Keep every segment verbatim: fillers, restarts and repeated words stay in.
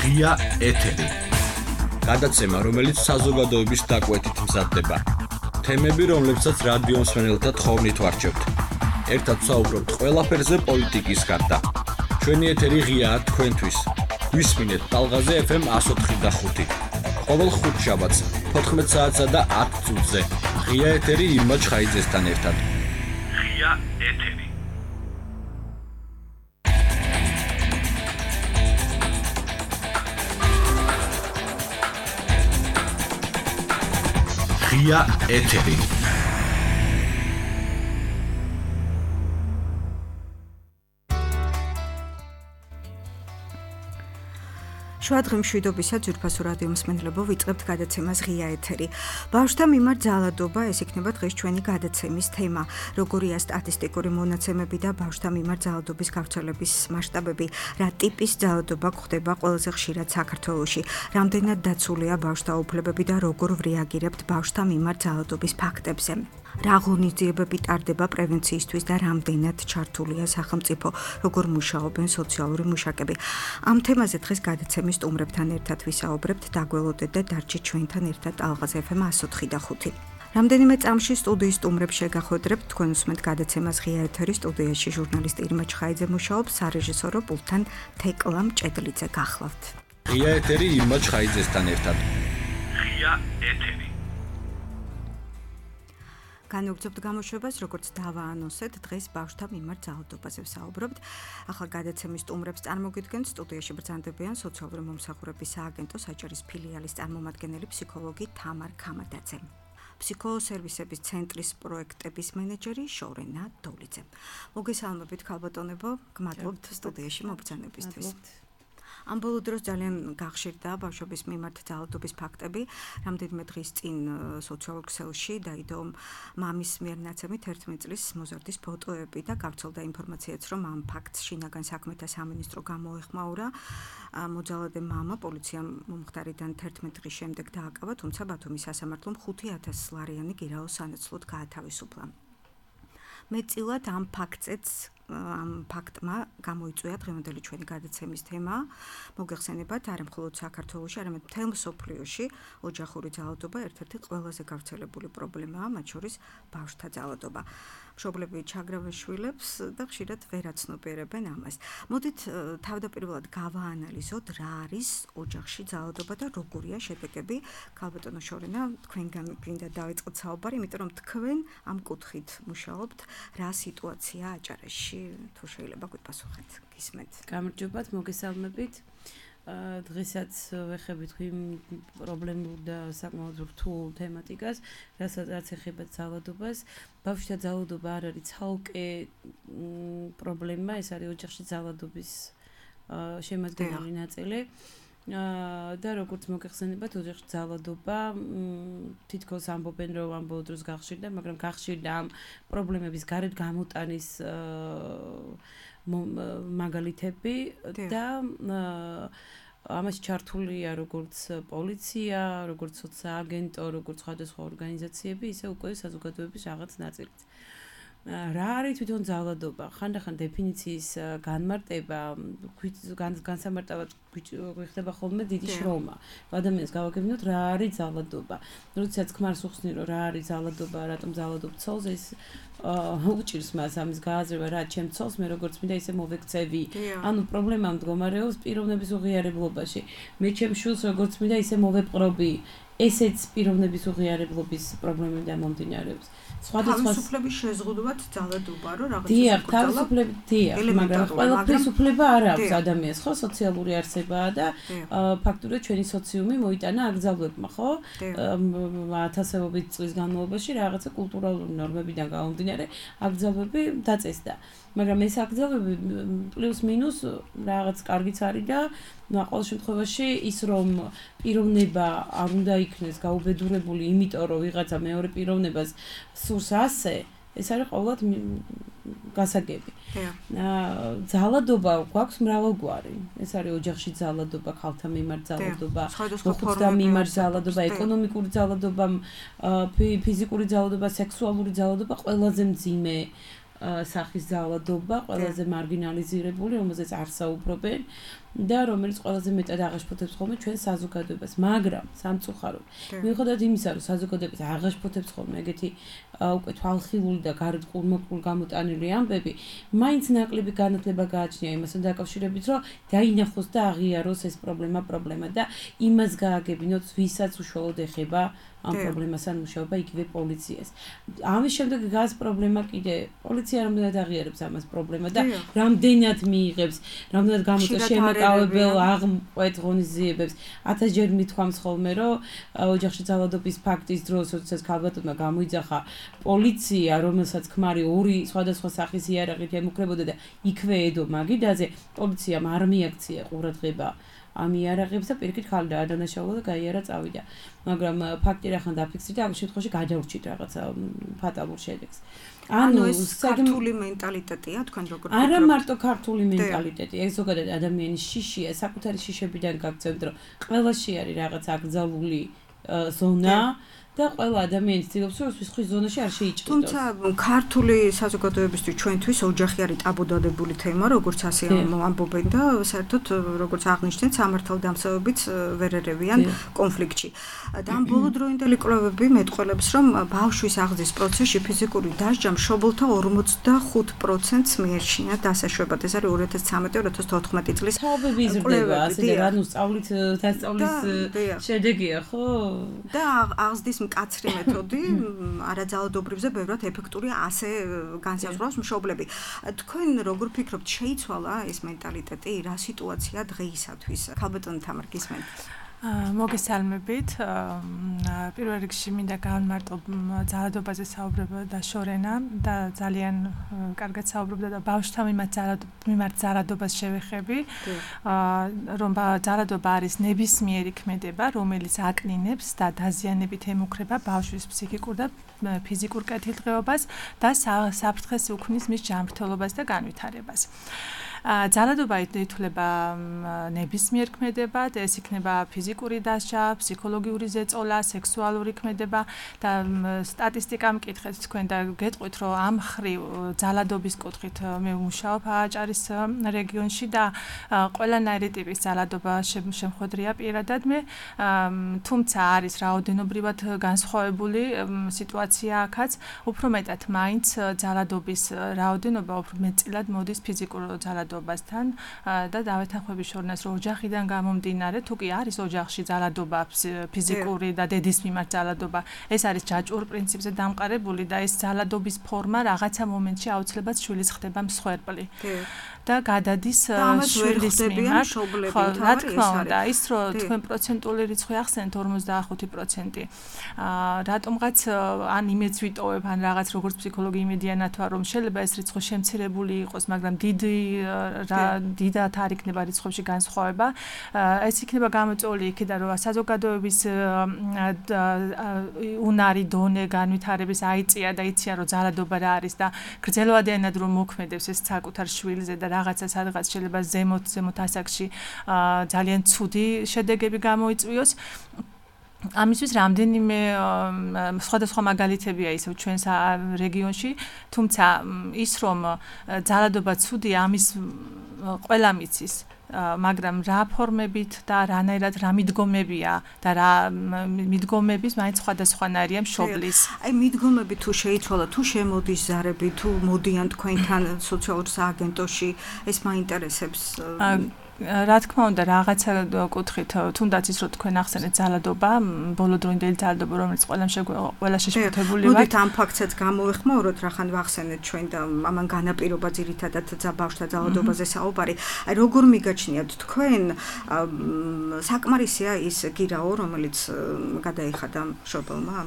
ღია ეთერი. გადაცემა, რომელიც საზოგადოების დაკვეთით მზადდება. თემები, რომლებსაც რადიო მსმენელთა თხოვნით ვარჩევთ. ერთად საუბრობთ ყველაფერზე პოლიტიკის გარდა. ჩვენი ეთერი ღიაა თქვენთვის. გვისმინეთ ტალღაზე ეფ ემ εκατო ოთხი და ხუთი. ყოველ ხუთშაბათს თოთხმეტ საათსა და ათ წუთზე. ღია ეთერი ირმა ჩხაიძესთან ერთად. ღია ეთერი. ღია ეთერი. შვადღი მშვიდობისა ძვირფასო რადიო მსმენელებო, ვიწყებთ გადაცემას ღია ეთერი. ბავშვთა მიმართ ძალადობა, ეს იქნება დღეს ჩვენი გადაცემის თემა. როგორია სტატისტიკური მონაცემები და ბავშვთა მიმართ ძალადობის გავრცელების მასშტაბები, რა ტიპის ძალადობა გვხდება ყველაზე ხშირად საქართველოში, რამდენად დაცულია ბავშვთა უფლებები და როგორ ვრეაგირებთ ბავშვთა მიმართ ძალადობის ფაქტებზე. რა ღონისძიებები ტარდება პრევენციისთვის და რამდენად ჩართულია სახელმწიფო, როგორ მუშაობენ სოციალური მუშაკები. ამ თემაზე დღეს გადაცემის სტუმრებთან ერთად ვისაუბრებთ, დაგველოდეთ და დარჩით ჩვენთან ერთად ტალღაზე ეფ ემ εκατო ოთხი და ხუთი. რამდენიმე წამში სტუდიის სტუმრებს შეგახვედრებთ, თქვენ უსმენთ გადაცემას ღია ეთერი, სტუდიაში ჟურნალისტი ირმა ჩხაიძე მუშაობს, სარეჟისორო პულტთან თეკლა მჭედლიძე გახლავთ. ღია ეთერი ირმა ჩხაიძესთან ერთად. ღია ეთერი. განვაგრძობთ გამოშვებას, როგორც დავაანონსეთ, დღეს ბავშვთა მიმართ ძალადობაზე ვსაუბრობთ. ახლა გადაცემის სტუმრებს წარმოგიდგენთ, სტუდიაში ბრძანდებიან სოციალური მომსახურების სააგენტოს აჭარის ფილიალის წარმომადგენელი ფსიქოლოგი თამარ ქამადაძე. ფსიქოსერვისების ცენტრის პროექტების მენეჯერი შორენა დოლიძე. მოგესალმებით ქალბატონებო, გმადლობთ სტუდიაში მობრძანებისთვის. ამ ბოლო დროს ძალიან გახშირდა ბავშვების მიმართ ძალადობის ფაქტები. რამდენიმე დღის წინ სოციალურ ქსელში დაიდო მამის მიერ ნაცემით ერთმეტ წლის მოზარდის ფოტოები და გავრცელდა ინფორმაციაც, რომ ამ ფაქტს შინაგან საქმეთა სამინისტრო გამოეხმაურა. მოძალადე მამა პოლიციამ მომხდარიდან თერთმეტ დღის შემდეგ დააკავა, თუმცა ბათუმის სასამართლომ ხუთი ათას ლარიანი გირაოს სანაცვლოდ გაათავისუფლა. მეტწილად ამ ფაქტზეც ამ ფაქტმა გამოიწვია დღევანდელი ჩვენი გადაცემის თემა. მოგეხსენებათ, არა მხოლოდ საქართველოში, არამედ მთელ მსოფლიოში ოჯახური ძალადობა ერთ-ერთი ყველაზე გავრცელებული პრობლემაა, მათ შორის ბავშვთა ძალადობა. მშობლები ჩაგრავენ შვილებს და ხშირად ვერ აცნობიერებენ ამას. მოდით თავდაპირველად გავაანალიზოთ, რა არის ოჯახში ძალადობა და როგორია შედეგები. ქალბატონო შორენა, თქვენგან გინდა დავიწყოთ საუბარი, იმიტომ რომ თქვენ ამ კუთხით მუშაობთ, რა სიტუაციაა აჭარაში. თუ შეიძლება გვიპასუხეთ, გისმენთ. გამარჯობათ, მოგესალმებით. დღესაც ვეხებით იმ პრობლემურ და საკმაოდ რთულ თემატიკას, რასაც ეხება ძალადობას. ბავშვთა ძალადობა არ არის ცალკე პრობლემა, ეს არის ოჯახში ძალადობის შემადგენელი ნაწილი. და როგორც მოგეხსენებათ, ოჯახში ძალადობა თითქოს ამბობენ, რომ ამ ბოლო დროს გახშირდა, მაგრამ გახშირდა ამ პრობლემების გარეთ გამოტანის მაგალითები და ამაში ჩართულია როგორც პოლიცია, როგორც სოციააგენტო, როგორც სხვადასხვა ორგანიზაციები, ისე უკვე საზოგადოების რაღაც ნაწილიც. რა არის თვითონ ძალადობა? ხანდახან დეფინიციის განმარტება, განსამარტავად გვიხდება ხოლმე დიდი შრომა. ადამიანს გავაგებინოთ, რა არის ძალადობა. როდესაც ქმარს უხსნი, რომ რა არის ძალადობა, რატომ ძალადობ ცოლს, ეს უჭირს მას ამის გააზრება, რა ჩემ ცოლს მე როგორც მინდა ისე მოვექცევი. ანუ პრობლემა მდგომარეობს პიროვნების უღიარებლობაში. მე ჩემ შვილს როგორც მინდა ისე მოვეპყრობი. ესეც პიროვნების უღიარებლობის პრობლემიდან მომდინარეობს. თავისუფლების შეზღუდვად ძალადობა, რომ რაღაცა დიახ, თავისუფლები დიახ, მაგრამ ყველაფრის უფლება არ აქვს ადამიანს, ხო, სოციალური არსებაა და ფაქტურად ჩვენი სოციუმი მოიტანა აკრძალვებმა, ხო? ათასობით წლის განმავლობაში რაღაცა კულტურალური ნორმებიდან გამომდინარე აკრძალვები დაწესდა. მაგრამ ეს აკრძალვები პლუს მინუს რაღაც კარგიც არის და ყოველ შემთხვევაში ის რომ პიროვნება არ უნდა იქნეს გაუბედურებული, იმიტომ რომ ვიღაცა მეორე პიროვნებას სურს ასე, ეს არის ყოველად გასაგები. ძალადობა გვაქვს მრავალგვარი. ეს არის ოჯახში ძალადობა, ქალთა მიმართ ძალადობა, მოხუცთა მიმართ ძალადობა, ეკონომიკური ძალადობა, ფიზიკური ძალადობა, სექსუალური ძალადობა, ყველაზე მძიმე სახის ძალადობა, ყველაზე მარგინალიზირებული, რომელზეც არ საუბრობენ და რომელიც ყველაზე მეტად აღაშფოთებს ხოლმე ჩვენ საზოგადოებას, მაგრამ სამწუხაროდ მიუხედავად იმისა, რომ საზოგადოებას აღაშფოთებს ხოლმე ეგეთი უკვე თვალხილული და გარეთ ყურმოყრულ გამოტანილი ამბები, მაინც ნაკლები განათლება გააჩნია იმასთან დაკავშირებით, რომ დაინახოს და აღიაროს ეს პრობლემა პრობლემა და იმას გააგებინოთ, ვისაც უშუალოდ ეხება ამ პრობლემასთან მუშაობა იგივე პოლიციას. ამის შემდეგ გას პრობლემა კიდე პოლიცია რამდენად აღიარებს ამას პრობლემა და რამდენად მიიღებს, რამდენად გამოწვევს შემოკავებელ აღმყვეთ ღონისძიებებს. ათასჯერ მithქვამს ხოლმე, რომ ოჯახში ძალადობის ფაქტის დროს, როდესაც ქალბატონმა გამოიძახა პოლიცია, რომელსაც ქმარი ორი სხვადასხვა სახის იარაღით ემუქრებოდა და იქვე ედო მაგიდაზე, პოლიციამ არ მიაქცია ყურადღება ამ იარაღებს და პირიქით ხალხი დაადანაშაულა და გაიარა წავიდა. მაგრამ ფაქტი რახან დაფიქსირდა, ამ შემთხვევაში გადაურჩით რაღაცა ფატალურ შედეგს. ანუ ეს ქართული მენტალიტეტია, თქვენ როგორ ვფიქრობთ? არა მარტო ქართული მენტალიტეტი, ეს ზოგადად ადამიანის შიშია, საკუთარი შიშებიდან გაგწევთ, რომ ყველაში არის რაღაც აკრძალული ზონა და ყველა ადამიანი ცდილობს, რომ სხვის ზონაში არ შეიჭრიდოს. თუმცა ქართული საზოგადოებისთვის ჩვენთვის ოჯახი არის ტაბუდადებული თემა, როგორც ასე ამბობენ და საერთოდ როგორც აღნიშნეთ, სამართალდამცავებიც ვერ ერევიან კონფლიქტში. და ამ ბოლოდროინდელი კვლევები მეტყველებს, რომ ბავშვის აღზრდის პროცესში ფიზიკური დასჯა მშობელთა ორმოცდახუთ პროცენტს მიეჩნია დასაშვებად. ეს არის ორი ათას ცხრამეტი ორი ათას თოთხმეტი წლის თაობები იზრდება, ასე და რანუ სწავლით დასწავლის შედეგია, ხო? და აღზრდის მკაცრი მეთოდი არაძალადობრივზე ბევრად ეფექტურია, ასე განსაზღვრავს მშობლები. თქვენ როგორ ფიქრობთ, შეიცვალა ეს მენტალიტეტი, რა სიტუაცია დღეისათვის? ქალბატონი თამარ გისმენთ? მოგესალმებით. პირველ რიგში მინდა გავამარტო ძალადობაზე საუბრება და შორენა და ძალიან კარგად საუბრობდა და ბავშვთა მიმართ ძალადობას შევეხები, რომ ძალადობა არის ნებისმიერი ქმედება, რომელიც აკნინებს და დაზიანებით ემუქრება ბავშვის ფსიქიკურ და ფიზიკურ კეთილდღეობას და საფრთხეს უქმნის მის ჯანმრთელობას და განვითარებას. ძალადობა ითვლება ნებისმიერ ქმედებად, ეს იქნება ფიზიკური დასჯა, ფსიქოლოგიური ზეწოლა, სექსუალური ქმედება და სტატისტიკა მკითხეთ თქვენ და გეტყვით, რომ ამ ხრივ ძალადობის კუთხით მე ვმუშაობ აჭარის რეგიონში და ყველანაირი ტიპის ძალადობა შემხვედრია პირადად მე, თუმცა არის რაოდენობრივად განსხვავებული სიტუაცია აქაც, უფრო მეტად მაინც ძალადობის რაოდენობა უფრო მეტწილად მოდის ფიზიკურ ძალადობასთან და დავეთანხმები შორნას, რომ ოჯახიდან გამომდინარე, თუ კი არის ოჯახში ძალადობა ფიზიკური და დედის მიმართ ძალადობა, ეს არის ჯაჭვურ პრინციპზე დამყარებული და ეს ძალადობის ფორმა რაღაცა მომენტში აუცილებლად შვილის ხდება მსხვერპლი. და გადადის შვილის მიმართ. ხო, რა თქმა უნდა, ის რომ თქვენ პროცენტული რიცხვი ახსენეთ ორმოცდახუთი პროცენტი. რატომღაც ან იმედს ვიტოვებ, ან რაღაც როგორც ფსიქოლოგი იმედიანად ვარ, რომ შეიძლება ეს რიცხვი შემცირებული იყოს, მაგრამ დიდი დიდად არ იქნება რიცხვებში განსხვავება. ეს იქნება გამოწვეული იქიდან, რომ საზოგადოების უნარი დონე განვითარების აიწია და იციან, რომ ძალადობა რა არის და გრძელვადიანად რომ მოქმედებს ეს საკუთარ შვილზე და რაღაცა სადღაც შეიძლება ზემოთ ზემოთ ასაკში ძალიან ცუდი შედეგები გამოიწვიოს. ამისთვის რამდენიმე სხვადასხვა მაგალითებია ისევ ჩვენს რეგიონში, თუმცა ის რომ ძალადობა ცუდია, ამის ყველა მიცის, მაგრამ რა ფორმებით და რანაირად რა მიდგომებია და რა მიდგომების მაინც სხვადასხვანაირია მშობლის. აი მიდგომები თუ შეიცვალა, თუ შემოდის ზარები, თუ მოდიან თქვენთან სოციალურ სააგენტოში, ეს მაინტერესებს. რა თქმა უნდა, რაღაცა კუთხით, თუნდაც ის რომ თქვენ ახსენეთ ძალადობა, ბოლოდროინდელი ძალადობა, რომელიც ყველამ ყველა შეშფოთებული ვართ. მოდით ამ ფაქტსაც გამოვეხმაუროთ, რახან ვახსენეთ ჩვენ და ამან განაპირობა ძირითადად ბავშვთა ძალადობაზე საუბარი. აი როგორ მიგაჩნიათ თქვენ, საკმარისია ის გირაო, რომელიც გადაიხადა მშობელმა?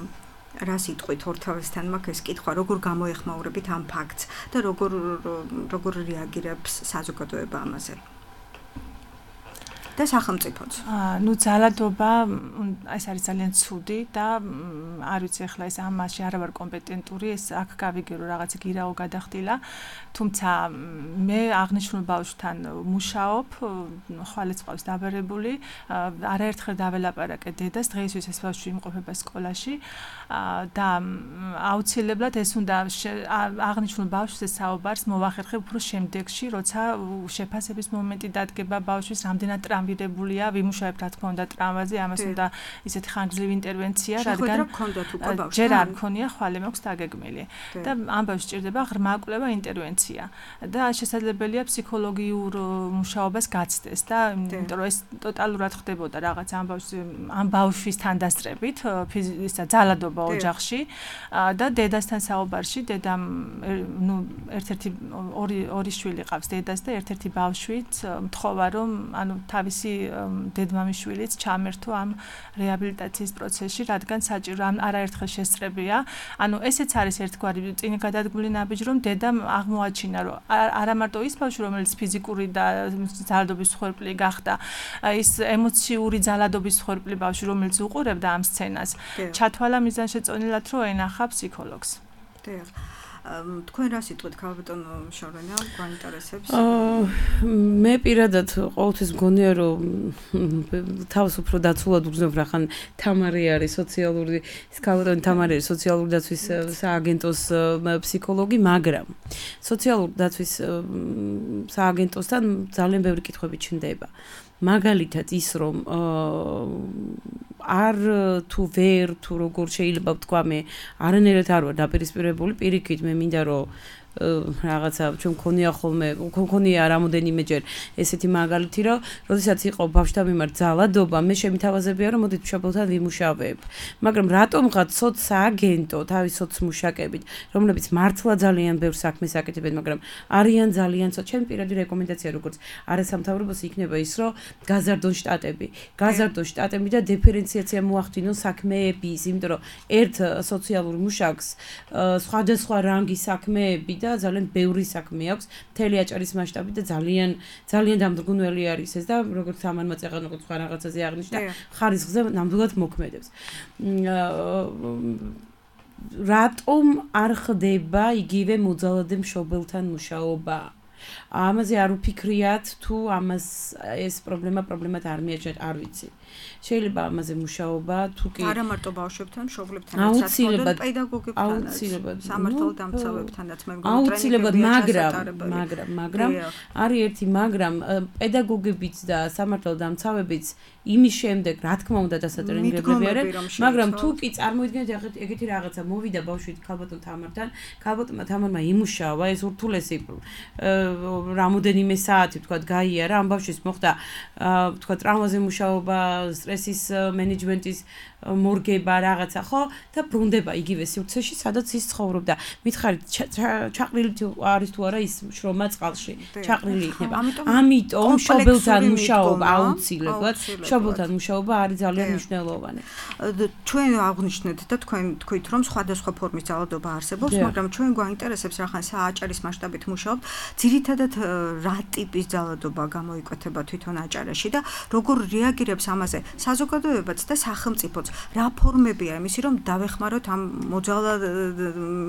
რა სიტყვით ორთავესთან მაქვს ეს კითხვა, როგორ გამოეხმაურებით ამ ფაქტს და როგორ როგორ რეაგირებს საზოგადოება ამაზე? და სახელმწიფოც. ნუ ძალადობა ეს არის ძალიან ცუდი და არ ვიცი ახლა ეს ამაში არა ვარ კომპეტენტური, ეს აქ გავიგე რომ რაღაცა გირაო გადახდილა, თუმცა მე აღნიშნულ ბავშვთან მუშაობ, ხვალეც ყავს დაბერებული, არაერთხელ დაველაპარაკე დედას, დღეისთვის ეს ბავშვი იმყოფება სკოლაში და აუცილებლად ეს უნდა აღნიშნულ ბავშვზე საუბარს მოვახერხებ უფრო შემდეგში, როცა შეფასების მომენტი დადგება ბავშვის, რამდენად ტრავმირებულია, ვიმუშავებ რა თქმა უნდა ტრავმაზე, ამას უნდა ისეთი ხანგრძლივი ინტერვენცია, რადგან ჯერ არ მქონია, ხვალე მაქვს დაგეგმილი და ამ ბავშვს სჭირდება ღრმა კვლევა, ინტერვენცია და შესაძლებელია ფსიქოლოგიურ მუშაობას გაცდეს და იმიტომ რომ ეს ტოტალურად ხდებოდა რაღაც ამ ბავშვის ამ ბავშვის თანდასწრებით, ისა ძალადობა ოჯახში და დედასთან საუბარში, დედამ ნუ ერთ-ერთი ორი ორი შვილი ყავს დედას და ერთ-ერთი ბავშვით მთხოვა რომ ანუ თავისი დედმამიშვილიც ჩამერთო ამ რეაბილიტაციის პროცესში, რადგან საჭირო არაერთხელ შესწრებია. ანუ ესეც არის ერთგვარი წინ გადადგმული ნაბიჯი, რომ დედამ აღმოაჩინა, რომ არა მარტო ის ბავშვი, რომელიც ფიზიკური და ძალადობის მსხვერპლი გახდა, ის ემოციური ძალადობის მსხვერპლი ბავშვი, რომელიც უყურებდა ამ სცენას, ჩათვალა მიზანშეწონილად, რომ ენახა ფსიქოლოგს. დიახ. თქვენ რა სიტყვით ქალბატონო შორენა გვაინტერესებს? მე პირადად ყოველთვის მგონია რომ თავს უფრო დაცულად უგზნობ, რახან თამარი არის სოციალური ქალბატონი თამარი არის სოციალური დაცვის სააგენტოს ფსიქოლოგი, მაგრამ სოციალური დაცვის სააგენტოსთან ძალიან ბევრი კითხვები ჩნდება. მაგალითად ის რომ არ თუ ვერ თუ როგორ შეიძლება ვთქვა მე არანაირად არ ვარ დაპირისპირებული, პირიქით მე მინდა რომ რაღაცა ჩვენ მქონია ხოლმე მქონია რამოდენიმეჯერ ესეთი მაგალითი რომ როდესაც იყო ბავშვთა მიმართ ძალადობა, მე შემითავაზებია რომ მოდით მშობელთან ვიმუშავებ, მაგრამ რატომღაც სოცსააგენტო თავის სოცმუშაკებით, რომლებიც მართლა ძალიან ბევრ საქმეს აკეთებენ, მაგრამ არიან ძალიან ცოტა, ჩემი პირადი რეკომენდაცია როგორც არასამთავრობოს იქნება ის რომ გაზარდონ შტატები, გაზარდონ შტატები და დიფერენციაცია მოახდინონ საქმეების, იმიტომ რომ ერთ სოციალურ მუშაკს სხვადასხვა რანგის საქმეები და ძალიან ბევრი საქმე აქვს მთელი აჭარის მასშტაბით და ძალიან ძალიან დამდგუნველი არის ეს და როგორც ამან მაწეღანო სხვა რაღაცაზე აღნიშნა ხარისხზე ნამდვილად მოქმედებს. რატომ არ ხდება იგივე მოძალადე მშობელთან მუშაობა? ამაზე არ უფიქრიათ თუ ამას ეს პრობლემა პრობლემად არ მიაჩნიათ, არ ვიცი. შეიძლება ამაზე მუშაობა თუ კი არა მარტო ბავშვებთან, მშობლებთანაც, საერთოდ პედაგოგებთანაც, სამართალდამცავებთანაც, მე მგონი აუცილებლად, მაგრამ მაგრამ მაგრამ არის ერთი მაგრამ პედაგოგებიც და სამართალდამცავებიც იმის შემდეგ, რა თქმა უნდა, დასატრენირებლები არიან, მაგრამ თუ კი წარმოიდგინეთ ეგეთი რაღაცა მოვიდა ბავშვი ქალბატონ თამართან, ქალბატონმა თამარმა იმუშავა, ეს ურთულესი რამოდენიმე საათი თქვა გაიარა, ამ ბავშვის მოხდა თქვა ტრავმაზე მუშაობა, სტრესის მენეჯმენტის მორგება რაღაცა, ხო? და ბრუნდება იგივე სივრცეში, სადაც ის ცხოვრობდა. მითხარით, ჩაყრილი არის თუ არა ის შრომა წყალში? ჩაყრილი იქნება. ამიტომ მშობელთან მუშაობა აუცილებლად, მშობელთან მუშაობა არის ძალიან მნიშვნელოვანი. ჩვენ აღნიშნეთ და თქვენ თქვით, რომ სხვადასხვა ფორმის ძალადობა არსებობს, მაგრამ ჩვენ გვაინტერესებს რახან სააჭარის მასშტაბით მუშაობთ, ძირითადად რა ტიპის ძალადობა გამოიკვეთება თვითონ აჭარაში და როგორ რეაგირებს ამაზე საზოგადოებაც და სახელმწიფოც? რა ფორმებია იმისი რომ დავეხმაროთ ამ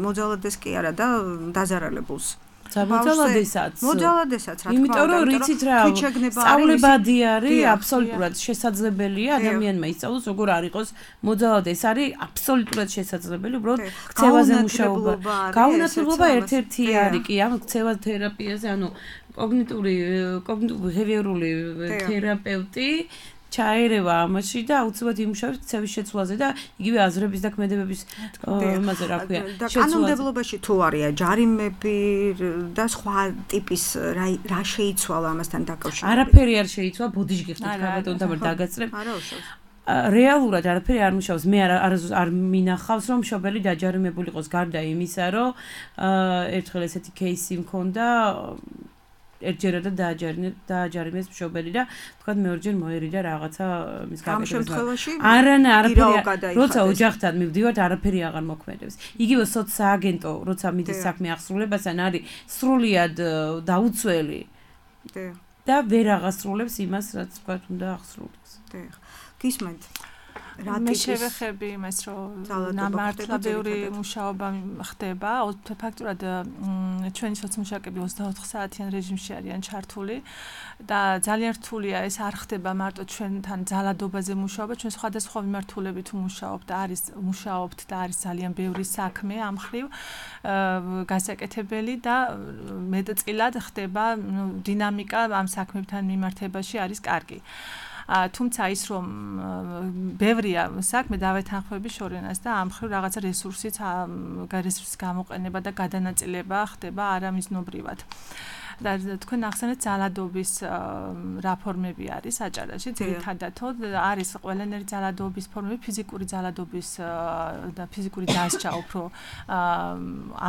მოძალადეს კი არა და დაზარალებულს? მოძალადესაც. მოძალადესაც რა თქმა უნდა. იმიტომ რომ რიცით რა სწავლებადი არის, აბსოლუტურად შესაძლებელია ადამიანმა ისწავლოს როგორ არ იყოს მოძალადე. ეს არის აბსოლუტურად შესაძლებელი, უბრალოდ ქცევაზე მუშაობა. გაუნათლებლობა ერთ-ერთი არის კი ამ ქცევა თერაპიაზე, ანუ კოგნიტური კოგნიტურ-ბიჰევიორული თერაპევტი ჩაერევა ამაში და აუცილებლად იმუშავებს ქცევის შეცვლაზე და იგივე აზრების და ქმედებების იმაზე რა ქვია შეცვლაზე. კანონმდებლობაში თუ არია ჯარიმები და სხვა ტიპის რა შეიცვალა ამასთან დაკავშირებით? არაფერი არ შეიცვალა, ბოდიში გიხდით ქალბატონ თამარ დაგაწრებ. არა უშავს. რეალურად არაფერი არ მუშაობს. მე არ არ მინახავს რომ მშობელი დაჯარიმებული იყოს გარდა იმისა, რომ ერთხელ ესეთი кейსი მქონდა ერთჯერადად დააჯარიმეს მშობელი და თქვა მეორჯერ მოერიდა რაღაცა მის გაკეთებას. არანა არაფერი როცა ოჯახთან მივდივართ არაფერი აღარ მოქმედებს. იგივე სოცსააგენტო როცა მიდის საქმე აღსრულებასთან არის სრულიად დაუცველი. და ვერ აღასრულებს იმას, რაც თქვათ უნდა აღსრულდეს. დიახ. გისმენთ? მე შევეხები იმას, რომ მართლა ბევრი მუშაობა ხდება, ფაქტურად ჩვენი სოციმუშაკები ოცდაოთხ საათიან რეჟიმში არიან ჩართული და ძალიან რთულია ეს არ ხდება მარტო ჩვენთან ძალადობაზე მუშაობა, ჩვენ სხვადასხვა მიმართულებით ვმუშაობთ და არის მუშაობთ და არის ძალიან ბევრი საქმე ამ მხრივ გასაკეთებელი და მეტწილად ხდება დინამიკა ამ საქმებთან მიმართებაში არის კარგი. თუმცა ის რომ ბევრია საქმე დავეთანხმები შორენას და ამ მხრივ რაღაცა რესურსით რესურსის გამოყენება და გადანაწილება ხდება არამიზნობრივად. და თქვენ ახსენეთ ძალადობის რაფორმები არის აჭარაში ძირითადად არის ყველანაირი ძალადობის ფორმები ფიზიკური ძალადობის და ფიზიკური დასჯა უფრო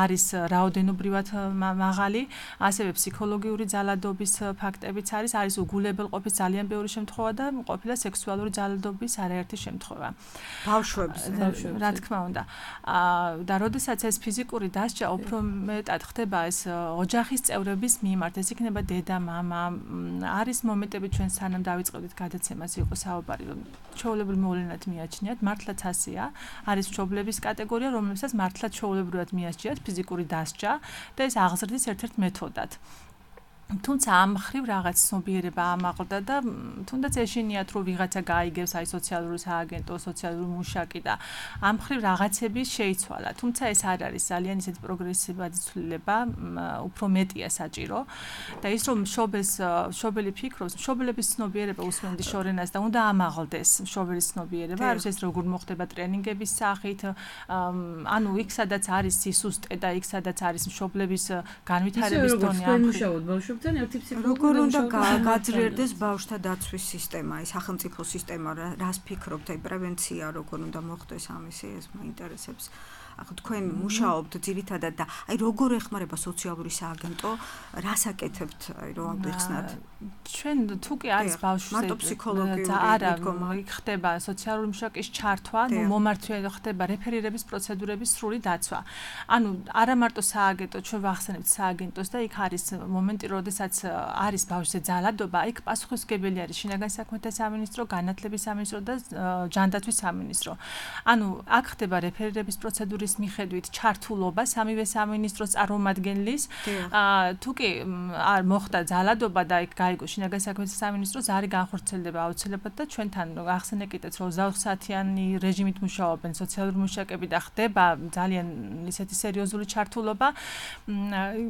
არის რაოდენობრივად მაღალი ასევე ფსიქოლოგიური ძალადობის ფაქტებიც არის არის უგულებელყოფის ძალიან ბევრი შემთხვევა და ყოფილა სექსუალური ძალადობის არაერთი შემთხვევა ბავშვებს რა თქმა უნდა და როდესაც ეს ფიზიკური დასჯა უფრო მეტად ხდება ეს ოჯახის წევრების მიმართ ეს იქნება დედა, მამა, არის მომენტები ჩვენ სანამ დავიწყებდით გადაცემას იყო საუბარი რომ ჩვეულებრივ მოვლენად მიაჩნიათ, მართლაც ასეა, არის მშობლების კატეგორია, რომლებსაც მართლაც ჩვეულებრივად მიაჩნიათ ფიზიკური დასჯა და ეს აღზრდის ერთ-ერთ მეთოდად. თუმცა ამ ხრივ რაღაც ცნობიერება ამაყდა და თუნდაც ეშინიათ რომ ვიღაცა გაიგებს აი სოციალური სააგენტო, სოციალური მუშაკი და ამ ხრივ რაღაცები შეიცვალა. თუმცა ეს არ არის ძალიან ისეთი პროგრესივადი ცვლილება, უფრო მეტია საჭირო და ის რომ მშობელს მშობელი ფიქრობს, მშობლების ცნობიერება უსმენდი შორენას და უნდა ამაღლდეს მშობელის ცნობიერება, არის ეს როგორ მოხდება ტრენინგების სახით, ანუ იქ სადაც არის სისუსტე და იქ სადაც არის მშობლების განვითარების დონე ამ ხრივ როგორ უნდა გაძლიერდეს ბავშვთა დაცვის სისტემა, ის სახელმწიფო სისტემა, რას ფიქრობთ, აი პრევენცია როგორ უნდა მოხდეს ამისი, ეს მაინტერესებს. ახლა თქვენ მუშაობთ ძირითადად და აი როგორ ეხმარება სოციალური სააგენტო, რას აკეთებთ, აი რომ აღიხსნათ? ჩვენ თუ კი არის ბავშვზე მარტო ფსიქოლოგიური არა, იქ ხდება სოციალური მუშაკის ჩართვა, ნუ მომართვია ხდება რეფერირების პროცედურების სრული დაცვა. ანუ არა მარტო სააგენტო, ჩვენ ვახსენებთ სააგენტოს და იქ არის მომენტი, როდესაც არის ბავშვზე ძალადობა, იქ პასუხისმგებელი არის შინაგან საქმეთა სამინისტრო, განათლების სამინისტრო და ჯანდაცვის სამინისტრო. ანუ აქ ხდება რეფერირების პროცედურა მიხედვით ჩართულობა სამივე სამინისტროს წარმომადგენლის თუ კი არ მოხდა ძალადობა და იქ გაიგო შინაგან საქმეთა სამინისტროს არის განხორციელდება აუცილებლად და ჩვენთან ახსენეკიდეთ რომ ოცდაოთხ საათიანი რეჟიმით მუშაობენ სოციალური მუშაკები და ხდება ძალიან ისეთი სერიოზული ჩართულობა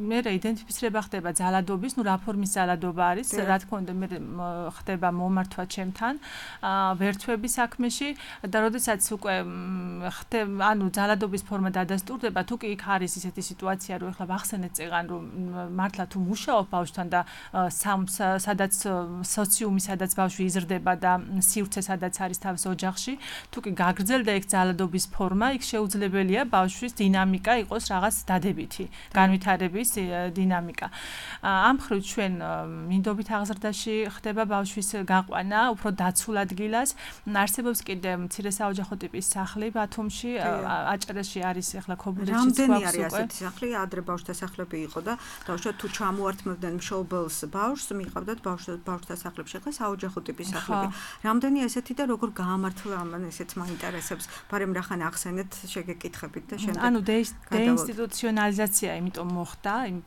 მე იდენტიფიცირება ხდება ძალადობის ნუ რა ფორმის ძალადობა არის რა თქმა უნდა მე ხდება მომართვა ჩემთან ვერთვების საქმეში და როდესაც უკვე ხდება ანუ ძალადობის ფორმა დადასტურდება, თუ კი იქ არის ისეთი სიტუაცია, რომ ეხლა ვახსენეთ წეგან, რომ მართლა თუ მუშაობ ბავშვთან და სადაც სოციუმი, სადაც ბავშვი იზრდება და სივრცე სადაც არის თავის ოჯახში, თუ კი გაგრძელდა იქ ძალადობის ფორმა, იქ შეუძლებელია ბავშვის დინამიკა იყოს რაღაც დადებითი, განვითარების დინამიკა. ამ მხრივ ჩვენ მინდობით აღზრდაში ხდება ბავშვის გაყვანა, უფრო დაცულ ადგილას, არსებობს კიდე მცირე საოჯახო ტიპის სახლი ბათუმში, აჭარაში არის ახლა ქობულეთშიც რამდენი არის ასეთი სახლი, ადრე ბავშვთა სახლები იყო და დაუშვათ თუ ჩამოართმევდნენ მშობელს ბავშვს, მიიღავდათ ბავშვთა სახლებში, ახლა საოჯახო ტიპის სახლები. რამდენი ესეთი და როგორ გაამართლა ამან ესეც მაინტერესებს, მაგრამ რახან ახსენეთ, შეგეკითხებით და შემდეგ. ანუ დეინსტიტუციონალიზაცია იმიტომ მოხდა იმ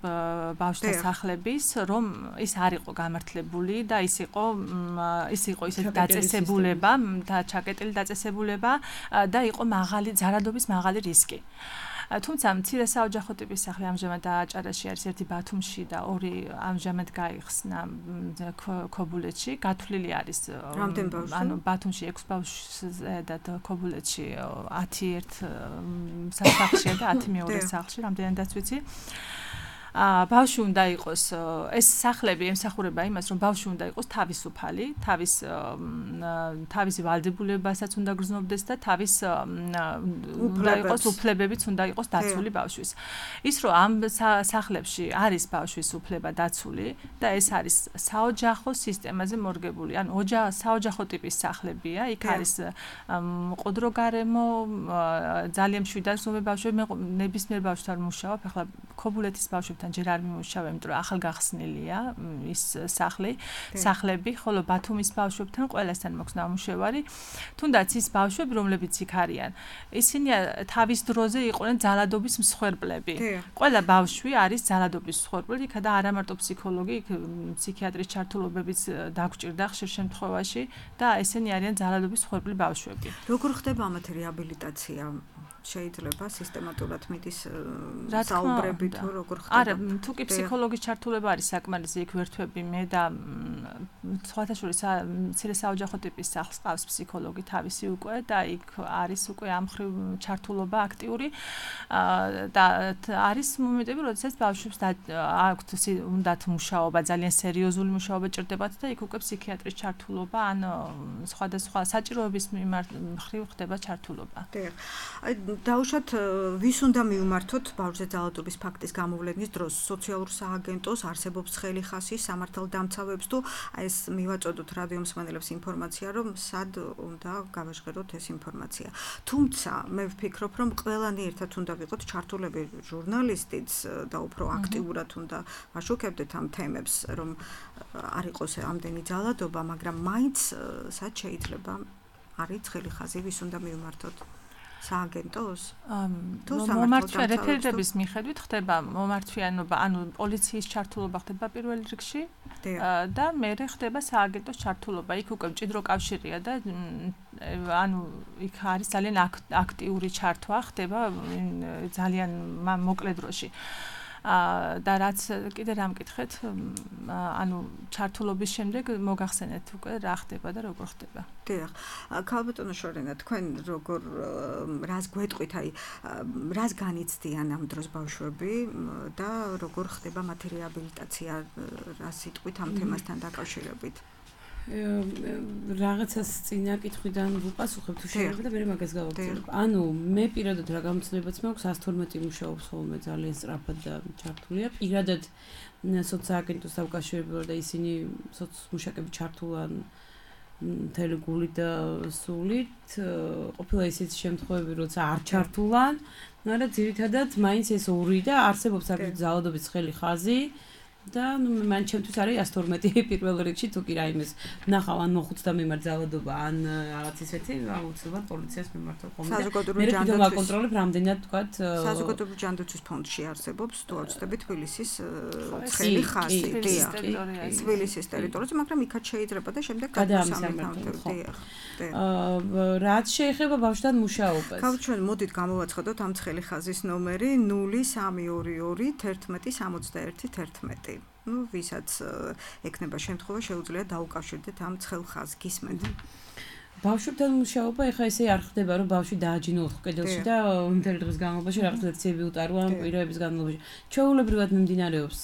ბავშვთა სახლების, რომ ის არ იყო გამართლებული და ის იყო ის იყო ისეთი დაწესებულება და ჩაკეტილი დაწესებულება და იყო მაღალი ძალადობის მაღალი რისკი. თუმცა მცირე საოჯახო ტიპის სახლი ამჟამად აჭარაში არის ერთი ბათუმში და ორი ამჟამად გაიხსნა ქობულეთში, გათვლილი არის ანუ ბათუმში ექვსი ბავშვზე და ქობულეთში ათი ერთ სახლშია და ათი მეორე სახლში, რამდენადაც ვიცი. ბავშვი უნდა იყოს ეს სახლები ემსახურება იმას რომ ბავშვი უნდა იყოს თავისუფალი, თავის თავისი ვალდებულებასაც უნდა გრძნობდეს და თავის უნდა იყოს უფლებებიც უნდა იყოს დაცული ბავშვის. ის რომ ამ სახლებში არის ბავშვის უფლება დაცული და ეს არის საოჯახო სისტემაზე მორგებული. ანუ საოჯახო ტიპის სახლებია, იქ არის მყუდრო გარემო, ძალიან მშვიდად ზომე ბავშვები, მე ნებისმიერ ბავშვთან მუშაობ, ახლა ქობულეთის ბავშვებთან ჯერ არ მიმუშავე, იმიტომ რომ ახალგახსნილია ის სახლი, სახლები, ხოლო ბათუმის ბავშვებთან ყველასთან მოქვს ნამუშევარი. თუნდაც ის ბავშვები, რომლებიც იქ არიან, ისინი თავის დროზე იყვნენ ძალადობის მსხვერპლები. ყველა ბავშვი არის ძალადობის მსხვერპლი, იქა და არა მარტო ფსიქოლოგი, ფსიქიატრის ჩართულობებიც დაგჭირდა ხშირ შემთხვევაში და ესენი არიან ძალადობის მსხვერპლი ბავშვები. როგორ ხდება ამათი რეაბილიტაცია? შეიძლება სისტემატურად მიდის საუბრები თუ როგორ ხდება? არა, თუ კი ფსიქოლოგის ჩართულება არის საკმარისი, იქ ვერთვები მე და სხვათა შორის მცირე საოჯახო ტიპის სახლს ყავს ფსიქოლოგი თავისი უკვე და იქ არის უკვე ამ მხრივ ჩართულობა აქტიური და არის მომენტები, როდესაც ბავშვებს აქვთ უნდათ მუშაობა, ძალიან სერიოზული მუშაობა ჭირდებათ და იქ უკვე ფსიქიატრის ჩართულობა ან სხვადასხვა საჭიროების მხრივ ხდება ჩართულობა. დაუშვათ ვის უნდა მივმართოთ ბავშვზე ძალადობის ფაქტის გამოვლენის დროს? სოციალურ სააგენტოს, არსებობს ხელი ხასი სამართალდამცავებს თუ ეს მივაწოდოთ რადიო მსმენელებს ინფორმაცია, რომ სად უნდა გავაჟღეროთ ეს ინფორმაცია. თუმცა მე ვფიქრობ, რომ ყველანი ერთად უნდა ვიყოთ ჩართულები, ჟურნალისტიც და უფრო აქტიურად უნდა ვაშუქებდეთ ამ თემებს, რომ არ იყოს ამდენი ძალადობა, მაგრამ მაინც სად შეიძლება არის ხელი ხაზი, ვის უნდა მივმართოთ? სააგენტოს? მომართვიან რეფერენტების მიხედვით ხდება მომართვიანობა, ანუ პოლიციის ჩართულობა ხდება პირველ რიგში და მერე ხდება სააგენტოს ჩართულობა. იქ უკვე მჭიდრო კავშირია და ანუ იქ არის ძალიან აქტიური ჩართვა ხდება ძალიან მოკლე დროში. და რაც კიდე რა მკითხეთ, ანუ ჩართულობის შემდეგ მოგახსენეთ უკვე რა ხდება და როგორ ხდება. დიახ. ქალბატონო შორენა, თქვენ როგორ რას გვეტყვით, აი რას განიცდიან ამ დროს ბავშვები და როგორ ხდება მათი რეაბილიტაცია, რა სიტყვით ამ თემასთან დაკავშირებით? რაღაცას წინა კითხვიდან ვუპასუხებ თუ შეიძლება და მე მაგას გავაგზავნებ. ანუ მე პირადად რა გამოცდილებაც მაქვს, one twelve მუშაობს ხოლმე ძალიან სწრაფად და ჩართულია. პირადად სოციალაგენტოს დაკავშირებულად და ისინი სოციმუშაკები ჩართულან მთელი გულით და სულით. ყოფილა ისიც შემთხვევები, როცა არ ჩართულან, მაგრამ ძირითადად მაინც ეს ორი და არსებობს აგრეთვე ძალადობის ხელი ხაზი. და ნუ მან ჩემთვის არის one twelve პირველ რიგში თუ კი რაიმეს ნახავ ან მოხუცდა მიმართ ძალადობა ან რაღაც ისეთი აუცილებლად პოლიციას მიმართო ხოლმე. საზოგადოებრივი ჯანდაცვის მე ვაკონტროლებ რამდენად თქვათ საზოგადოებრივი ჯანდაცვის ფონდში არსებობს თუ არ ვცდები თბილისის ცხელი ხაზი. თბილისის ტერიტორიაზე, მაგრამ იქაც შეიძლება და შემდეგ გადასამართლებლად. რაც შეეხება ბავშვთან მუშაობას. გავჩვენ, მოდით გამოვაცხადოთ ამ ცხელი ხაზის ნომერი null three two two one one six one one. ну, ვისაც ეკნება შემთხვევა, შეუძლია დაუკავშირდეთ ამ ცხელ ხაზს, გისმენთ. ბავშვებთან მუშაობა ეხა ესე არ ხდება, რომ ბავშვი დააჯინოს კედელში და მთელი დღის განმავლობაში რაღაც ლექციები უტარვა ამ პირობების განმავლობაში. ჩვეულებრივად მიმდინარეობს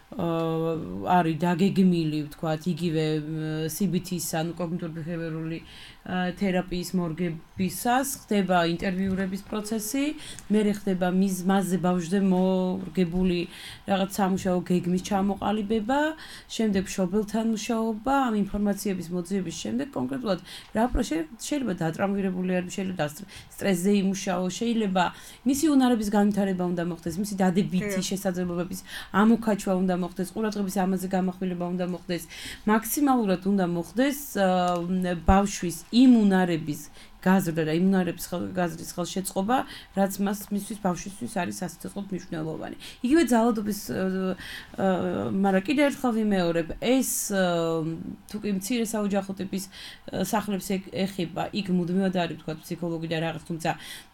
არის დაგეგმილი, ვთქვათ, იგივე C B T-ის, ანუ კოგნიტურ-ბეჰევიორული თერაპიის მორგებისას ხდება ინტერვიურების პროცესი, მერე ხდება მის მასზე ბავშვზე მორგებული რაღაც სამუშაო გეგმის ჩამოყალიბება, შემდეგ მშობელთან მუშაობა, ამ ინფორმაციების მოძიების შემდეგ კონკრეტულად რა შეიძლება დატრამვირებული არ შეიძლება სტრესზე იმუშაო, შეიძლება მისი უნარების განვითარება უნდა მოხდეს, მისი დადებითი შესაძლებლობების ამოქაჩვა უნდა მოხდეს, ყურადღების ამაზე გამახვილება უნდა მოხდეს, მაქსიმალურად უნდა მოხდეს ბავშვის იმუნარების გაზრდა და იმუნარების გაზრდის ხელშეწყობა, რაც მას მისთვის ბავშვისთვის არის სასიცოცხლოდ მნიშვნელოვანი. იგივე ძალადობის მაგრამ კიდევ ერთხელ ვიმეორებ, ეს თუ კი მცირე საოჯახო ტიპის სახლებს ეხება, იქ მუდმივად არის თქვა ფსიქოლოგი და რაღაც, თუმცა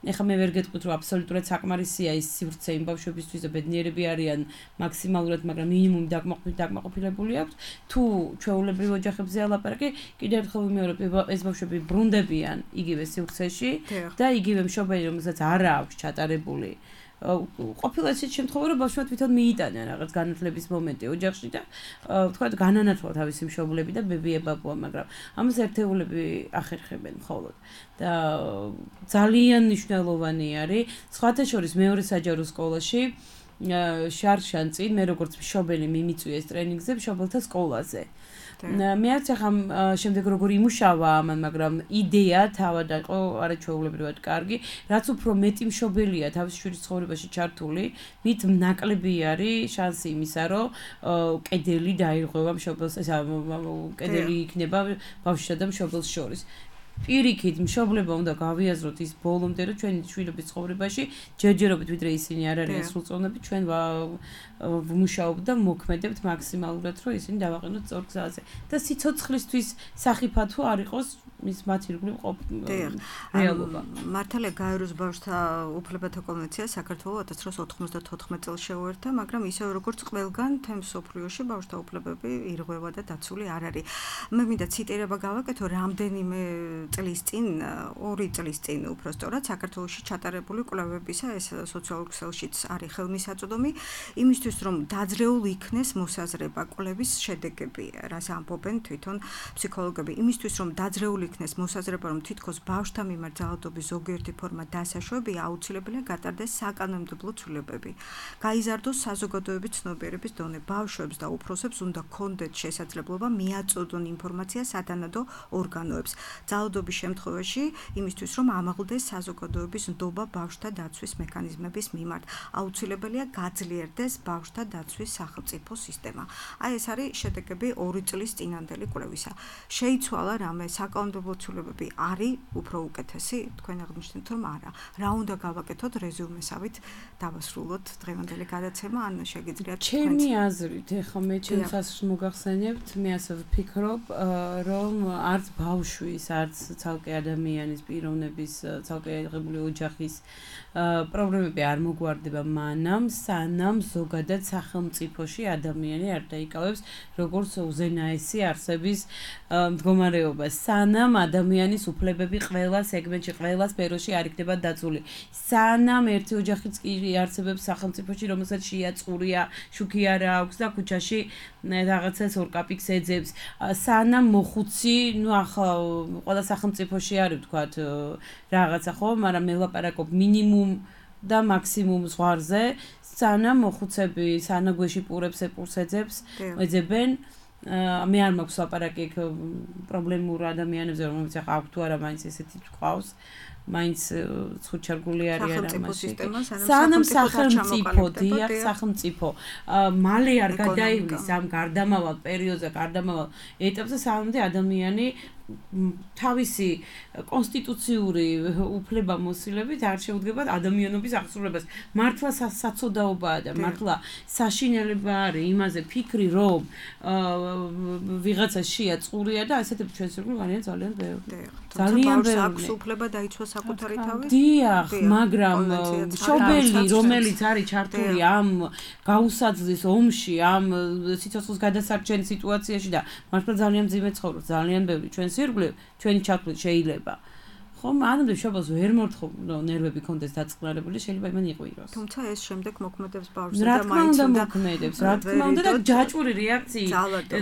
ეხლა მე ვერ გეტყვით, რომ აბსოლუტურად საკმარისია ის სივრცე იმ ბავშვებისთვის და ბედნიერები არიან მაქსიმალურად, მაგრამ მინიმუმი დაკმაყოფილებული აქვს. თუ ჩვეულებრივ ოჯახებზე ალაპარაკი, კიდევ ერთხელ ვიმეორებ, ეს ბავშვები ბრუნდებიან იგივე სივრცეში და იგივე მშობელი, რომელსაც არ აქვს ჩატარებული. ყოფილა ისეთი შემთხვევა, რომ ბავშვმა თვითონ მიიტანა რაღაც განათლების მომენტი ოჯახში და ვთქვათ, განანათლა თავისი მშობლები და ბებია-ბაბუა, მაგრამ ამას ერთეულები ახერხებენ მხოლოდ. და ძალიან მნიშვნელოვანი არის, სხვათა შორის მეორე საჯარო სკოლაში შარშან წინ მე როგორც მშობელი მიმიწვიეს ტრენინგზე მშობელთა სკოლაზე. მე არც ახლა შემდეგ როგორ იმუშავა ამან, მაგრამ იდეა თავად იყო არაჩვეულებრივად კარგი, რაც უფრო მეტი მშობელია თავის შვილის ცხოვრებაში ჩართული, მით ნაკლები არის შანსი იმისა, რომ კედელი დაირღვევა მშობელს, ესა კედელი იქნება ბავშვსა და მშობელს შორის. პირიქით მშობლება უნდა გავიაზროთ ის ბოლომდე, რომ ჩვენი შვილების ცხოვრებაში ჯერჯერობით ვიდრე ისინი არ არიან სრულწლოვნები, ჩვენ ვმუშაობთ და მოქმედებთ მაქსიმალურად, რომ ისინი დავაყენოთ სწორ გზაზე. და სიცოცხლისთვის სახიფათო არ იყოს მის მათ ირგვლივ რეალობა. მართალია გაეროს ბავშვთა უფლებათა კონვენცია საქართველოს ათას ცხრაასი ოთხმოცდათოთხმეტ წელს შეუერთდა, მაგრამ ისევ როგორც ყველგან თემ მსოფლიოში ბავშვთა უფლებები ირღვევა და დაცული არ არის. მე მინდა ციტირება გავაკეთო რამდენიმე წლის წინ, ორი წლის წინ უბრალოდ საქართველოში ჩატარებული კვლევებისა, ეს სოციალურ ქსელშიც არის ხელმისაწვდომი, იმისთვის რომ დაძლეულ იქნეს მოსაზრება კვლევის შედეგები, რას ამბობენ თვითონ ფსიქოლოგები, იმისთვის რომ დაძლეულ იქნეს მოსაზრება, რომ თითქოს ბავშვთა მიმართ ძალადობის ზოგიერთი ფორმა დასაშვებია, აუცილებელია გატარდეს საკანონმდებლო ცვლილებები. გაიზარდოს საზოგადოების ცნობიერების დონე, ბავშვებს და უფროსებს უნდა ჰქონდეთ შესაძლებლობა მიაწოდონ ინფორმაცია სათანადო ორგანოებს. ძალადობის შემთხვევაში იმისთვის რომ ამაღლდეს საზოგადოების ნდობა ბავშვთა დაცვის მექანიზმების მიმართ, აუცილებელია გაძლიერდეს ბავშვთა დაცვის სახელმწიფო სისტემა. აი ეს არის შედეგები ორი წლის წინანდელი კვლევისა. შეიცვალა რამე საკანონმდებლო ცვლილებები არის უფრო უკეთესი, თქვენ აღნიშნეთ რომ არა. რა უნდა გავაკეთოთ რეზუმესავით დავასრულოთ დღევანდელი გადაცემა, ან შეგიძლიათ თქვენ? ჩემი აზრით, ეხლა მე ჩემს აზრს მოგახსენებთ, მე ასე ვფიქრობ, რომ არც ბავშვის, არც ცალკე ადამიანის პიროვნების, ცალკე აღებული ოჯახის პრობლემები არ მოგვარდება მანამ, სანამ ზოგადად სახელმწიფოში ადამიანი არ დაიკავებს როგორც უზენაესი არსების მდგომარეობა, სანამ ადამიანის უფლებები ყველა სეგმენტში, ყველა სფეროში არ იქნება დაცული. სანამ ერთი ოჯახიც კი არსებობს სახელმწიფოში, რომელსაც შეაწურია, შუქი არ აქვს და ქუჩაში რაღაცას ორკაპიკს ეძებს. სანამ მოხუცი, ну ახლა ყველა სახელმწიფოში არის ვთქვათ რაღაცა ხო, მაგრამ მე ვლაპარაკობ მინიმუმ და მაქსიმუმ ზღვარზე, სანამ მოხუცები სანაგვეში პურებს ეპურს ეძებს, ეძებენ. მე არ მაქვს ლაპარაკი პრობლემურ ადამიანებზე, რომელიც ახლა აქვს თუ არა, მაინც ესეთი თქავს. მაინც ხუჩარგული არის არა მაშინ. სანამ სახელმწიფო, დიახ, სახელმწიფო მალე არ გადაივლის ამ გარდამავალ პერიოდზე, გარდამავალ ეტაპზე, სანამდე ადამიანი თავისი კონსტიტუციური უფლებამოსილებით არ შეუდგება ადამიანობის აღსრულებას. მართლა საცოდაობაა და მართლა საშინელება არის იმაზე ფიქრი, რომ ვიღაცა შეაწურია და ასეთები ჩვენს ირგვლივ არიან ძალიან ბევრი. ძალიან ბევრი. აქვს უფლება დაიცვას საკუთარი თავი? დიახ, მაგრამ მშობელი, რომელიც არის ჩართული ამ გაუსაძლის ომში, ამ სიცოცხლის გადასარჩენის სიტუაციაში და მართლა ძალიან მძიმე ცხოვრობს, ძალიან ბევრი ჩვენს ირგვლივ, ჩვენი ჩათვლით შეიძლება. ხომ ანამდე შობელს ვერ მორთხო ნერვები კონდეს დაწყნარებული, შეიძლება იმან იყვიროს. თუმცა ეს შემდეგ მოქმედებს ბავშვზე და მაინც უნდა მოქმედებს, რა თქმა უნდა და ჯაჭვური რეაქციით.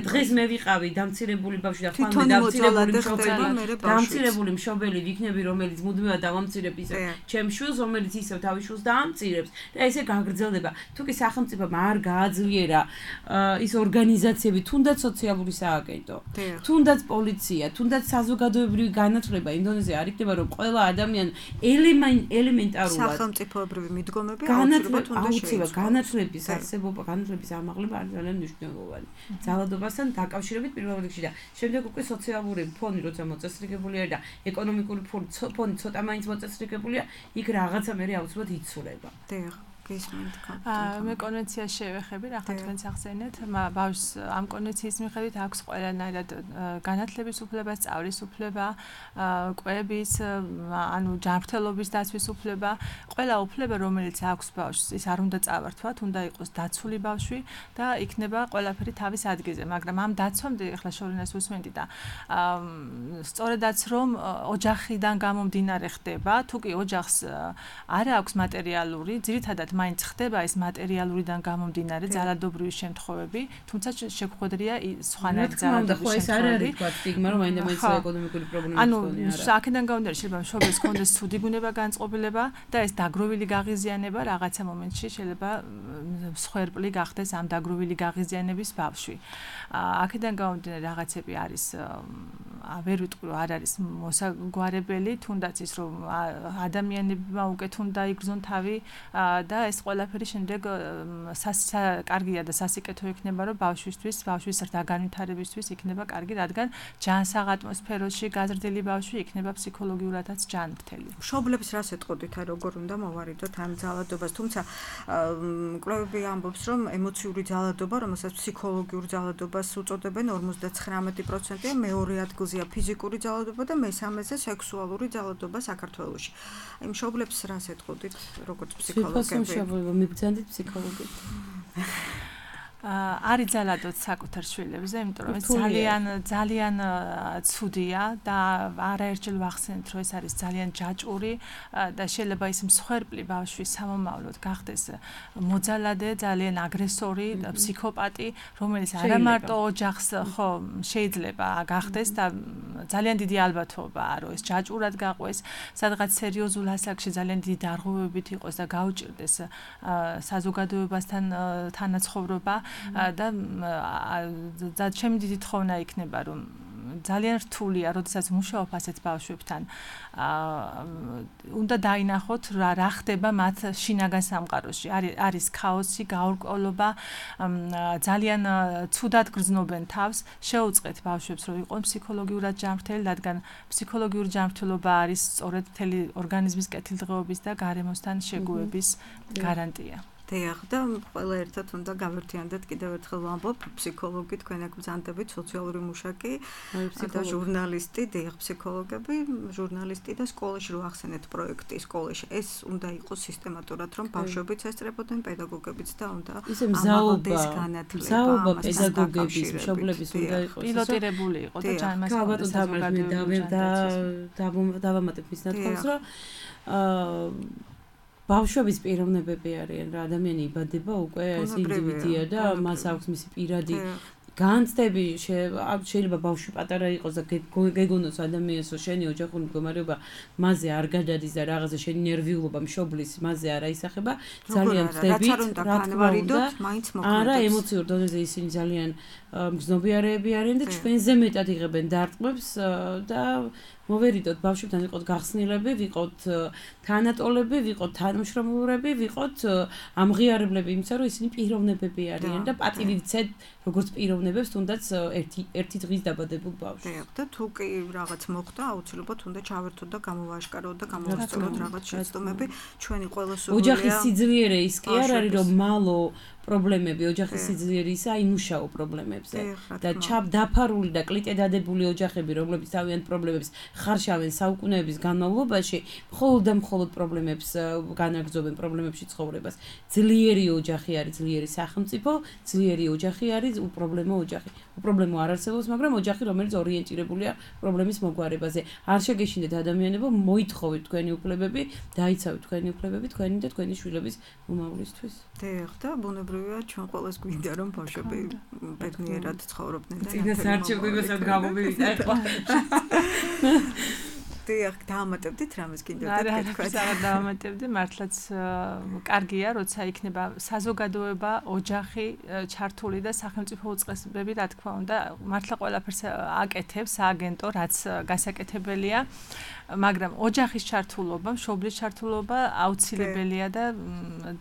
დღეს მე ვიყავი დამცირებული ბავშვი და ხვალ დამცირებული მშობელი, დამცირებული მშობელი ვიქნები, რომელიც მუდმივად დავამცირებ ისე ჩემ შვილს, რომელიც ისევ თავის შვილს დაამცირებს და ესე გაგრძელდება. თუ კი სახელმწიფომ არ გააძლიერა ის ორგანიზაციები, თუნდაც სოციალური სააგენტო, თუნდაც პოლიცია, თუნდაც საზოგადოებრივი განათლება იმ დონეზე არ იქნება, რომ ყველა ადამიანი ელემენტარულად სახელმწიფოებრივი მიდგომები აუცილებლად განათლების არსებობა, განათლების ამაღლება არის ძალიან მნიშვნელოვანი. ძალადობასთან დაკავშირებით პირველ რიგში და შემდეგ უკვე სოციალური ფონი, როცა მოწესრიგებულია და ეკონომიკური ფონი ცოტა მაინც მოწესრიგებულია, იქ რაღაცა მე აუცილებლად იცვლება. დიახ. გისმენთ მე კონვენციას შევეხები, ახლა თქვენს ახსენეთ, ბავშვს ამ კონვენციის მიხედვით აქვს ყველანაირად განათლების უფლება, სწავლის უფლება, კვების, ანუ ჯანმრთელობის დაცვის უფლება, ყველა უფლება, რომელიც აქვს ბავშვს, ის არ უნდა წავართვათ, უნდა იყოს დაცული ბავშვი და იქნება ყველაფერი თავის ადგილზე, მაგრამ ამ დაცვამდე ახლა შორინას უსმენდი და სწორედაც რომ ოჯახიდან გამომდინარე ხდება, თუ კი ოჯახს არ აქვს მატერიალური, ძირითადად მაინც ხდება ეს მატერიალურიდან გამომდინარე ძალადობრივი შემთხვევები, თუმცა შეგვხვედრია სხვანაირი ძალადობის შემთხვევები. ხო, ეს არ არის თქვა სტიგმა, რომ მაინდა მაინც ეკონომიკური პრობლემები ანუ აქედან გამომდინარე შეიძლება მშობლის კონდეს ცუდი ბუნება განწყობილება და ეს დაგროვილი გაღიზიანება რაღაცა მომენტში შეიძლება მსხვერპლი გახდეს ამ დაგროვილი გაღიზიანების ბავშვი. აქედან გამომდინარე რაღაცები არის ვერ ვიტყვი რომ არ არის მოსაგვარებელი, თუნდაც ის რომ ადამიანებმა უკეთ უნდა იგრძნონ თავი და ეს ყველაფერი შემდეგ კარგია და სასიკეთო იქნება რომ ბავშვისთვის, ბავშვის განვითარებისთვის იქნება კარგი, რადგან ჯანსაღ ატმოსფეროში გაზრდილი ბავშვი იქნება ფსიქოლოგიურადაც ჯანმრთელი. მშობლებს რას ეტყოდით, აი როგორ უნდა მოვარიდოთ ამ ძალადობას, თუმცა კვლევები ამბობს რომ ემოციური ძალადობა, რომელსაც ფსიქოლოგიურ ძალადობას უწოდებენ ორმოცდათხრამეტი პროცენტია, მეორე ადგილზეა ფიზიკური ძალადობა და მესამეზე სექსუალური ძალადობა საქართველოში. აი მშობლებს რას ეტყოდით, როგორც ფსიქოლოგები? მშობლებო მიბრძანდით ფსიქოლოგით. არის ძალადოთ საკუთარ შვილებზე, იმიტომ რომ ეს ძალიან ძალიან ცუდია და არაერთხელ ვახსენეთ, რომ ეს არის ძალიან ჯაჭვური და შეიძლება ის მსხვერპლი ბავშვი სამომავლოდ გახდეს მოძალადე, ძალიან აგრესორი, ფსიქოპატი, რომელიც არა მარტო ოჯახს ხო შეიძლება გახდეს და ძალიან დიდი ალბათობაა, რომ ეს ჯაჭვურად გაყვეს, სადღაც სერიოზულ ასაკში ძალიან დიდი დარღვევებით იყოს და გაუჭირდეს საზოგადოებასთან თანაცხოვრობა და ჩემი დიდი თხოვნა იქნება რომ ძალიან რთულია, როდესაც მუშაობ ასეთ ბავშვებთან, უნდა დაინახოთ რა რა ხდება მათ შინაგან სამყაროში. არის ქაოსი, გაურკვევლობა, ძალიან ცუდად გრძნობენ თავს. შეუწყეთ ბავშვებს, რომ იყვნენ ფსიქოლოგიურად ჯანმრთელი, რადგან ფსიქოლოგიური ჯანმრთელობა არის სწორედ მთელი ორგანიზმის კეთილდღეობის და გარემოსთან შეგუების გარანტია. დიახ, და ყველა ერთად უნდა გავერთიანდეთ კიდევ ერთხელ ვამბობ, ფსიქოლოგი თქვენ აქ ბრძანდებით, სოციალური მუშაკი და ჟურნალისტი, დიახ, ფსიქოლოგები, ჟურნალისტი და სკოლაში რო ახსენეთ პროექტი სკოლაში. ეს უნდა იყოს სისტემატურად, რომ ბავშვებიც ესწრებოდნენ, პედაგოგებიც და უნდა ამაღლდეს განათლება. ზაობა პედაგოგების, მშობლების უნდა იყოს. პილოტირებული იყო და ჯანმრთელობა დავამატებ მის ნათქვამს, რომ აა ბავშვების პიროვნებები არიან რა, ადამიანი იბადება უკვე ეს ინდივიდია და მას აქვს მისი პირადი განცდები, შეიძლება ბავშვი პატარა იყოს და გეგონოს ადამიანს, რომ შენი ოჯახური მდგომარეობა მასზე არ გადადის და რაღაცა შენი ნერვიულობა მშობლის მასზე არ აისახება, ძალიან ვწდებით, რა თქმა უნდა, არა ემოციურ დონეზე ისინი ძალიან მგრძნობიარეები არიან და ჩვენზე მეტად იღებენ დარტყმებს და მოვერიდოთ ბავშვებთან ვიყოთ გახსნილები, ვიყოთ თანატოლები, ვიყოთ თანამშრომლურები, ვიყოთ ამღიარებლები, იმისა რომ ისინი პიროვნებები არიან და პატივი ვცეთ როგორც პიროვნებებს, თუნდაც ერთი ერთი დღის დაბადებულ ბავშვს. დიახ, და თუ კი რაღაც მოხდა, აუცილებლად უნდა ჩავერთოთ და გამოვაშკაროთ და გამოვასწოროთ რაღაც შეცდომები, ჩვენი ყველა სურვილია. ოჯახის სიძლიერე ის კი არ არის რომ მალო პრობლემები, ოჯახის სიძლიერე ისა იმუშაო პრობლემებზე და ჩაბდაფარული და კლიტე დადებული ოჯახები, რომლებიც თავიანთ პრობლემებს ხარშავენ საუკუნეების განმავლობაში, მხოლოდ და მხოლოდ პრობლემებს განაგრძობენ, პრობლემებში ცხოვრებას. ძლიერი ოჯახი არის ძლიერი სახელმწიფო, ძლიერი ოჯახი არის უპრობლემო ოჯახი. უპრობლემო არ არსებობს, მაგრამ ოჯახი, რომელიც ორიენტირებულია პრობლემის მოგვარებაზე. არ შეგეშინდეთ ადამიანებო, მოითხოვეთ თქვენი უფლებები, დაიცავეთ თქვენი უფლებები, თქვენი და თქვენი შვილების მომავლისთვის. დიახ, და ბუნებრივია ჩვენ ყველას გვინდა რომ ბავშვები ბედნიერად ცხოვრობდნენ და წინას არჩევდებასაც გამომივიდა ეხლა. დიახ, დაამატებდით რამეს კიდევ და თქვა. არა, დაამატებდი, მართლაც კარგია, როცა იქნება საზოგადოება, ოჯახი ჩართული და სახელმწიფო უწყებები, რა თქმა უნდა, მართლა ყველაფერს აკეთებს სააგენტო, რაც გასაკეთებელია. მაგრამ ოჯახის ჩართულობა, მშობლის ჩართულობა აუცილებელია და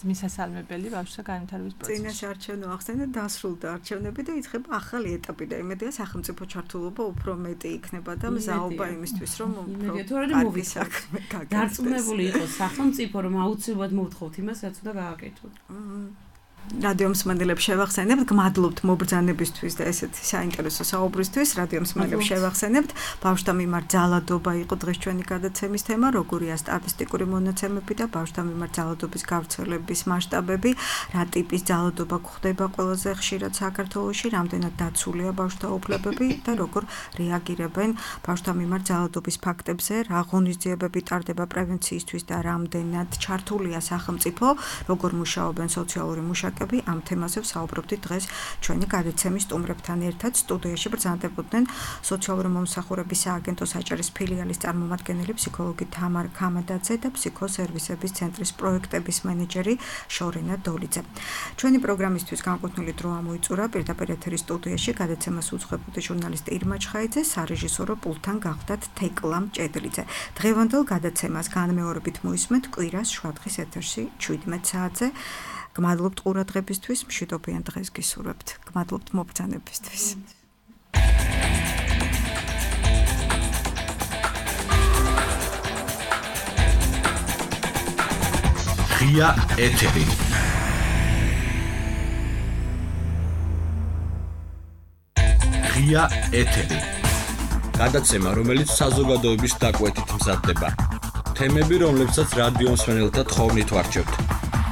მისასალმებელი ბავშვთა განვითარების პროცესში. წინაშე არჩევნო ახსენეთ, დასრულდა არჩევნები და იწყება ახალი ეტაპი და იმედია სახელმწიფო ჩართულობა უფრო მეტი იქნება და მზაობა იმისთვის, რომ უფრო კარგი საქმე გაგრძელდეს. დარწმუნებული იყოს სახელმწიფო, რომ აუცილებლად მოვთხოვთ იმას, რაც უნდა გააკეთოთ. რადიო მსმენელებს შევახსენებთ, გმადლობთ მობრძანებისთვის და ესეთი საინტერესო საუბრისთვის. რადიო მსმენელებს შევახსენებთ, ბავშვთა მიმართ ძალადობა იყო დღეს ჩვენი გადაცემის თემა, როგორია სტატისტიკური მონაცემები და ბავშვთა მიმართ ძალადობის გავრცელების მასშტაბები, რა ტიპის ძალადობა გვხდება ყველაზე ხშირად საქართველოში, რამდენად დაცულია ბავშვთა უფლებები და როგორ რეაგირებენ ბავშვთა მიმართ ძალადობის ფაქტებზე, რა ღონისძიებები ტარდება პრევენციისთვის და რამდენად ჩართულია სახელმწიფო, როგორ მუშაობენ სოციალური მუშაკები. ამ თემაზე ვსაუბრობდით დღეს ჩვენი გადაცემის სტუმრებთან ერთად. სტუდიაში ბრძანდებოდნენ სოციალური მომსახურების სააგენტოს აჭარის ფილიალის წარმომადგენელი ფსიქოლოგი თამარ ქამადაძე და ფსიქოსერვისების ცენტრის პროექტების მენეჯერი შორენა დოლიძე. ჩვენი პროგრამისთვის განკუთვნილი დრო ამოიწურა პირდაპირ ეთერის სტუდიაში გადაცემას უძღვებოდი ჟურნალისტი ირმა ჩხაიძე, სარეჟისორო პულტთან გავხდათ თეკლა მჭედლიძე. დღევანდელ გადაცემას განმეორებით მოისმენთ კვირას შვადღის ეთერში შვიდმეტ საათზე. გმადლობთ ყურადღებისთვის, მშვიდობიან დღეს გისურვებთ. გმადლობთ მობრძანებისთვის. ღია ეთერი. ღია ეთერი. გადაცემა, რომელიც საზოგადოების დაკვეთით მზადდება. თემები, რომლებსაც რადიო მსმენელთა თხოვნით ვარჩევთ.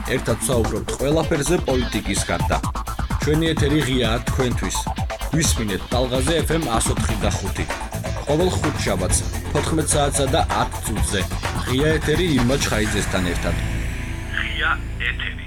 ერთად ვსაუბრობთ ყველაფერზე პოლიტიკის გარდა. ჩვენი ეთერი ღიაა თქვენთვის. გვისმინეთ ტალღაზე ეფ ემ εκατო ოთხი და ხუთი. ყოველ ხუთშაბათს თოთხმეტ საათსა და ათ წუთზე. ღია ეთერი ირმა ჩხაიძესთან ერთად. ღია ეთერი.